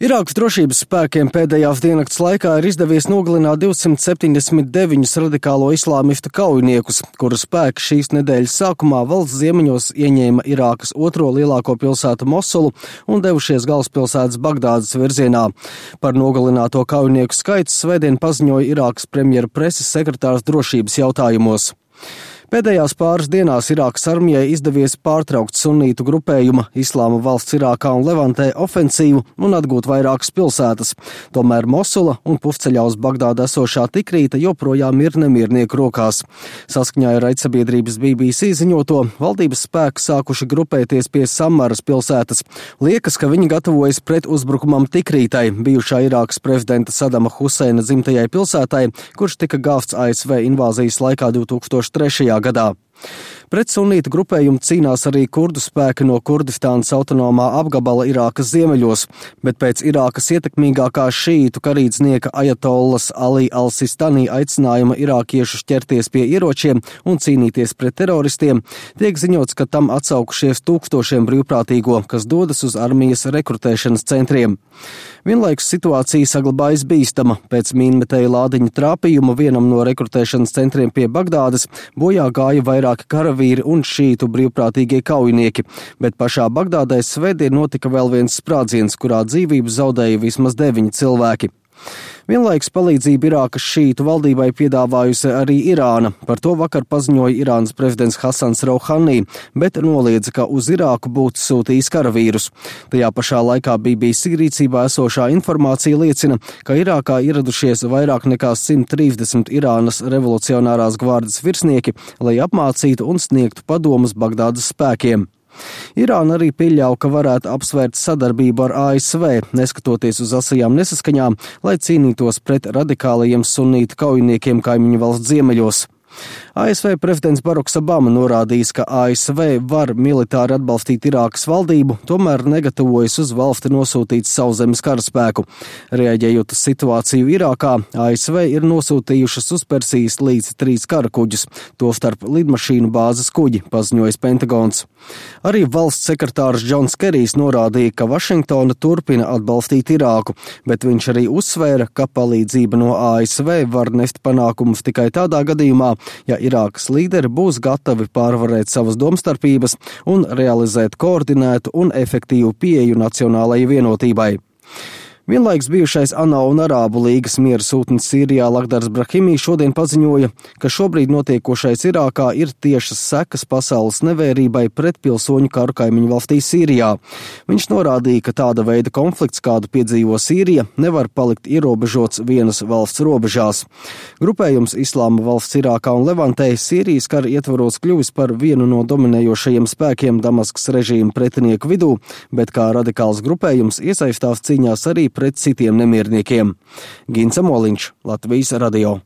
Irākas drošības spēkiem pēdējās diennakts laikā ir izdevies nogalināt 279 radikālo islāmistu kaujiniekus, kuru spēki šīs nedēļas sākumā valsts ziemeņos ieņēma Irākas otro lielāko pilsētu Mosulu un devušies galvaspilsētas Bagdādas virzienā. Par nogalināto kaujinieku skaitu svētdien paziņoja Irākas premjera preses sekretārs drošības jautājumos. Pēdējās pāris dienās Irākas armijai izdevies pārtraukt sunītu grupējuma Islāma valsts Irākā un Levantē ofensīvu un atgūt vairākas pilsētas. Tomēr Mosula un pufceļā uz Bagdādu esošā Tikrīta joprojām ir nemiernieku rokās. Saskaņā ar raidsabiedrības BBC ziņoto, valdības spēki sākuši grupēties pie Samaras pilsētas. Liekas, ka viņi gatavojas pret uzbrukumam Tikrītai, bijušā Irākas prezidenta Sadama Huseina dzimtajai pilsētai, kurš tika gāvts ASV invāzijas laikā 2003. gadā. Pret sunītu grupējumu cīnās arī kurdu spēki no Kurdistānas autonomā apgabala Irākas ziemeļos, bet pēc Irākas ietekmīgākā šītu karīdznieka Ajatollas Ali al-Sistani aicinājuma irākiešus ķerties pie ieročiem un cīnīties pret teroristiem, tiek ziņots, ka tam atsaukušies tūkstošiem brīvprātīgo, kas dodas uz armijas rekrutēšanas centriem. Vienlaikus situācija saglabājas bīstama. Pēc mīnmetēja lādiņa trāpījuma vienam no rekrutēšanas centriem pie Bagdādas bojā gāja vairāki karavīri un šītu brīvprātīgie kaujinieki, bet pašā Bagdādē svētdien notika vēl viens sprādziens, kurā dzīvību zaudēja vismaz 9 cilvēki. Vienlaikus palīdzību Irākas šītu valdībai piedāvājusi arī Irāna. Par to vakar paziņoja Irānas prezidents Hasans Rouhani, bet noliedza, ka uz Irāku būtu sūtījis karavīrus. Tajā pašā laikā BBC rīcībā esošā informācija liecina, ka Irākā ieradušies vairāk nekā 130 Irānas revolucionārās gvardes virsnieki, lai apmācītu un sniegtu padomus Bagdādas spēkiem. Irāna arī pieļauj, ka varētu apsvērt sadarbību ar ASV, neskatoties uz asajām nesaskaņām, lai cīnītos pret radikālajiem sunītu kaujiniekiem kaimiņu valsts ziemeļos. ASV prezidents Baraks Obama norādījis, ka ASV var militāri atbalstīt Irākas valdību, tomēr negatavojas uz valsti nosūtīt sauszemes karaspēku. Reaģējot uz situāciju Irākā, ASV ir nosūtījušas uz Persijas līci 3 karakuģus, tostarp lidmašīnu bāzes kuģi, paziņojis Pentagons. Arī valsts sekretārs Džons Kerijs norādīja, ka Vašingtona turpina atbalstīt Irāku, bet viņš arī uzsvēra, ka palīdzība no ASV var nest panākumus tikai tādā gadījumā, ja Irākas līderi būs gatavi pārvarēt savas domstarpības un realizēt koordinētu un efektīvu pieeju nacionālajai vienotībai. Vienlaiks bijušais ANO un Arābu līgas miera sūtnis Sīrijā Lakhdars Brahimī šodien paziņoja, ka šobrīd notiekošais Irākā ir tiešas sekas pasaules nevērībai pret pilsoņu karu kaimiņu valstī Sīrijā. Viņš norādīja, ka tāda veida konflikts, kādu piedzīvo Sīrija, nevar palikt ierobežots vienas valsts robežās. Grupējums Islāma valsts Irākā un Levantē Sīrijas kara ietvaros kļuvis par vienu no dominējošajiem spēkiem Damaskas režīma pretinieku vidū, bet kā radikāls grupējums iesaistās cīņās arī pret citiem nemierniekiem. Gins Amoliņš, Latvijas radio.